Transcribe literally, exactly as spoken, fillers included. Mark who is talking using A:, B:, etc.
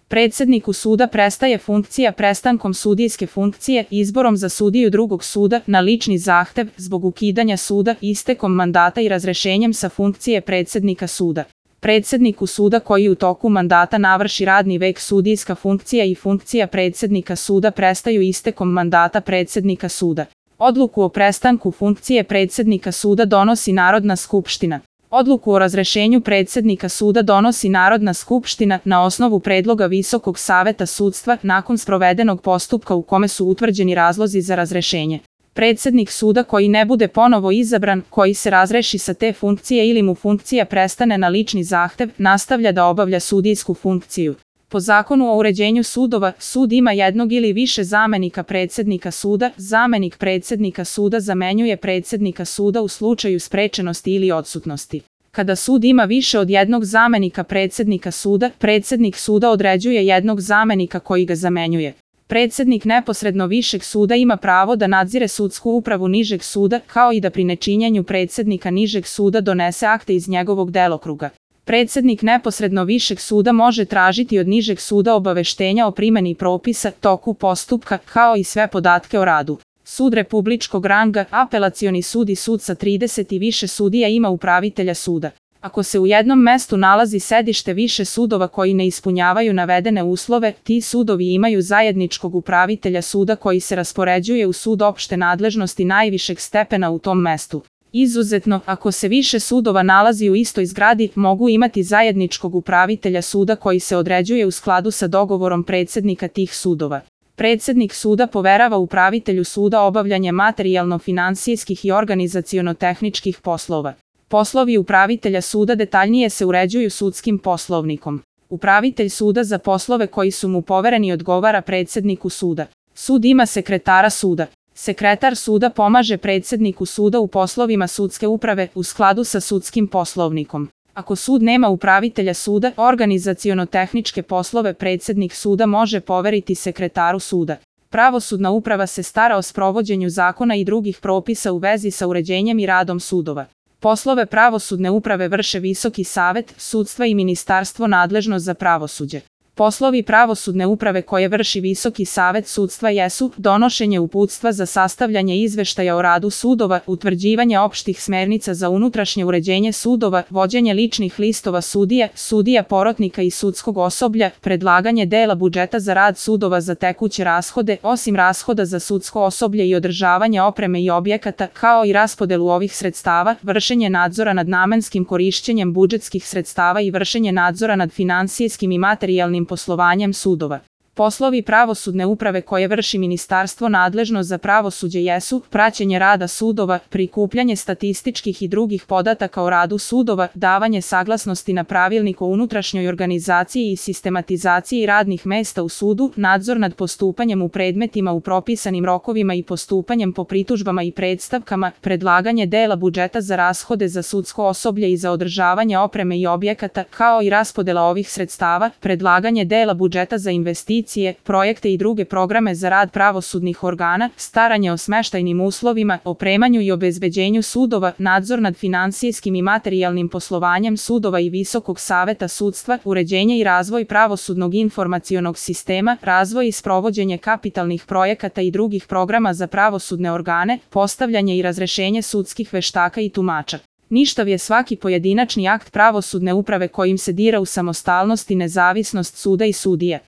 A: Predsedniku suda prestaje funkcija prestankom sudijske funkcije izborom za sudiju drugog suda na lični zahtev zbog ukidanja suda, istekom mandata i razrešenjem sa funkcije predsednika suda. Predsedniku suda koji u toku mandata navrši radni vek, sudijska funkcija i funkcija predsednika suda prestaju istekom mandata predsednika suda. Odluku o prestanku funkcije predsednika suda donosi Narodna skupština. Odluku o razrešenju predsednika suda donosi Narodna skupština na osnovu predloga Visokog saveta sudstva nakon sprovedenog postupka u kome su utvrđeni razlozi za razrešenje. Predsednik suda koji ne bude ponovo izabran, koji se razreši sa te funkcije ili mu funkcija prestane na lični zahtev, nastavlja da obavlja sudijsku funkciju. Po Zakonu o uređenju sudova, sud ima jednog ili više zamenika predsednika suda. Zamenik predsednika suda zamenjuje predsednika suda u slučaju sprečenosti ili odsutnosti. Kada sud ima više od jednog zamenika predsednika suda, predsednik suda određuje jednog zamenika koji ga zamenjuje. Predsednik neposredno višeg suda ima pravo da nadzire sudsku upravu nižeg suda, kao i da pri nečinjenju predsednika nižeg suda donese akte iz njegovog delokruga. Predsednik neposredno višeg suda može tražiti od nižeg suda obaveštenja o primeni propisa, toku postupka, kao i sve podatke o radu. Sud republičkog ranga, apelacioni sud i sud sa trideset i više sudija ima upravitelja suda. Ako se u jednom mestu nalazi sedište više sudova koji ne ispunjavaju navedene uslove, ti sudovi imaju zajedničkog upravitelja suda koji se raspoređuje u sud opšte nadležnosti najvišeg stepena u tom mestu. Izuzetno, ako se više sudova nalazi u istoj zgradi, mogu imati zajedničkog upravitelja suda koji se određuje u skladu sa dogovorom predsednika tih sudova. Predsednik suda poverava upravitelju suda obavljanje materijalno-finansijskih i organizaciono-tehničkih poslova. Poslovi upravitelja suda detaljnije se uređuju sudskim poslovnikom. Upravitelj suda za poslove koji su mu povereni odgovara predsedniku suda. Sud ima sekretara suda. Sekretar suda pomaže predsedniku suda u poslovima sudske uprave u skladu sa sudskim poslovnikom. Ako sud nema upravitelja suda, organizaciono-tehničke poslove predsednik suda može poveriti sekretaru suda. Pravosudna uprava se stara o sprovođenju zakona i drugih propisa u vezi sa uređenjem i radom sudova. Poslove pravosudne uprave vrše Visoki savet sudstva i ministarstvo nadležno za pravosuđe. Poslovi pravosudne uprave koje vrši Visoki savet sudstva jesu donošenje uputstva za sastavljanje izveštaja o radu sudova, utvrđivanje opštih smernica za unutrašnje uređenje sudova, vođenje ličnih listova sudija, sudija porotnika i sudskog osoblja, predlaganje dela budžeta za rad sudova za tekuće rashode, osim rashoda za sudsko osoblje i održavanje opreme i objekata, kao i raspodelu ovih sredstava, vršenje nadzora nad namenskim korišćenjem budžetskih sredstava i vršenje nadzora nad finansijskim i materijalnim poslovanjem sudova. Poslovi pravosudne uprave koje vrši ministarstvo nadležno za pravosuđe jesu praćenje rada sudova, prikupljanje statističkih i drugih podataka o radu sudova, davanje saglasnosti na pravilnik o unutrašnjoj organizaciji i sistematizaciji radnih mesta u sudu, nadzor nad postupanjem u predmetima u propisanim rokovima i postupanjem po pritužbama i predstavkama, predlaganje dela budžeta za rashode za sudsko osoblje i za održavanje opreme i objekata, kao i raspodela ovih sredstava, predlaganje dela budžeta za investicije, projekte i druge programe za rad pravosudnih organa, staranje o smeštajnim uslovima, opremanju i obezbeđenju sudova, nadzor nad finansijskim i materijalnim poslovanjem sudova i Visokog saveta sudstva, uređenje i razvoj pravosudnog informacionog sistema, razvoj i sprovođenje kapitalnih projekata i drugih programa za pravosudne organe, postavljanje i razrešenje sudskih veštaka i tumača. Ništav je svaki pojedinačni akt pravosudne uprave kojim se dira u samostalnost i nezavisnost suda i sudija.